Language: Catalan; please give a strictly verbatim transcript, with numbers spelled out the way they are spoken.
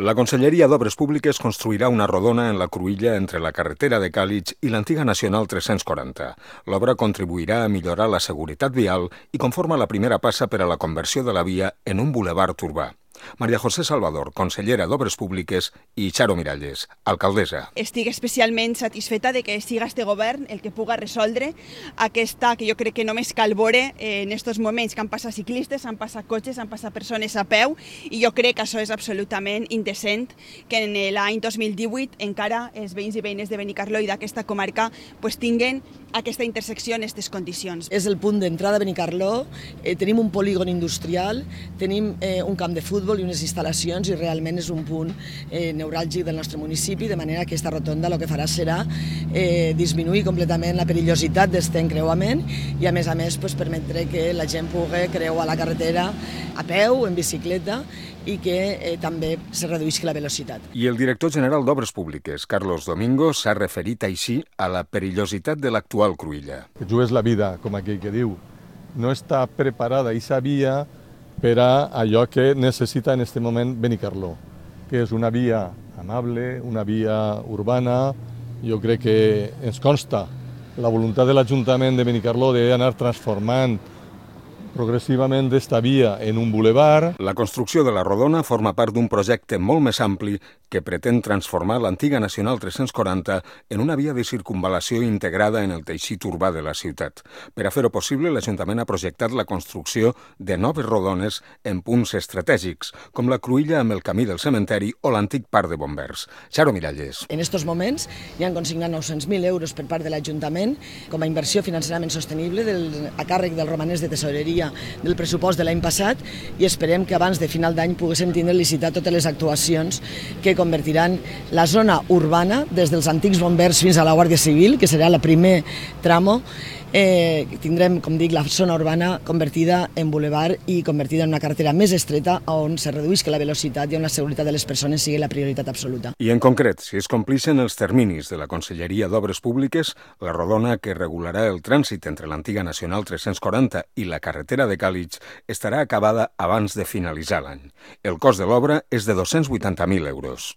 La Conselleria d'Obres Públiques construirà una rodona en la cruïlla entre la carretera de Càlig i l'antiga Nacional tres-cents quaranta. L'obra contribuirà a millorar la seguretat vial i conforma la primera passa per a la conversió de la via en un bulevard urbà. Maria José Salvador, consellera d'Obres Públiques, i Charo Miralles, alcaldessa. Estic especialment satisfeta de que siga este govern el que puga resoldre aquesta, que jo crec que només cal veure en aquests moments que han passat ciclistes, han passat cotxes, han passat persones a peu, i jo crec que això és absolutament indecent que en l'any dos mil divuit encara els veïns i veïnes de Benicarló i d'aquesta comarca pues, tinguen aquesta intersecció en aquestes condicions. És el punt d'entrada a Benicarló, eh, tenim un polígon industrial, tenim eh, un camp de futbol i unes instal·lacions i realment és un punt eh, neuràlgic del nostre municipi, de manera que aquesta rotonda el que farà serà eh, disminuir completament la perillositat d'aquest encreuament i a més a més pues, permetre que la gent pugui creuar la carretera a peu, en bicicleta i que eh, també se reduïsca la velocitat. I el director general d'Obres Públiques, Carlos Domingo, s'ha referit així a la perillositat de l'actual cruïlla. Que jugues la vida, com aquell que diu. No està preparada i sabia per a allò que necessita en aquest moment Benicarló, que és una via amable, una via urbana. Jo crec que ens consta la voluntat de l'Ajuntament de Benicarló d'anar transformant progressivament d'esta via en un bulevard. La construcció de la rodona forma part d'un projecte molt més ampli que pretén transformar l'antiga Nacional tres-cents quaranta en una via de circunvalació integrada en el teixit urbà de la ciutat. Per a fer-ho possible, l'Ajuntament ha projectat la construcció de noves rodones en punts estratègics, com la cruïlla amb el camí del cementeri o l'antic parc de bombers. Charo Miralles. En aquests moments hi han consignat nou-cents mil euros per part de l'Ajuntament com a inversió financerament sostenible del, a càrrec del romanès de tesoreria del pressupost de l'any passat i esperem que abans de final d'any poguéssim tindre licitar totes les actuacions que convertiran la zona urbana des dels antics bombers fins a la Guàrdia Civil, que serà el primer tramo. Eh, tindrem, com dic, la zona urbana convertida en bulevard i convertida en una carretera més estreta on se reduïsca la velocitat i on la seguretat de les persones sigui la prioritat absoluta. I en concret, si es complixen els terminis de la Conselleria d'Obres Públiques, la rodona que regularà el trànsit entre l'antiga Nacional tres-cents quaranta i la carretera de Càlig estarà acabada abans de finalitzar l'any. El cost de l'obra és de dos-cents vuitanta mil euros.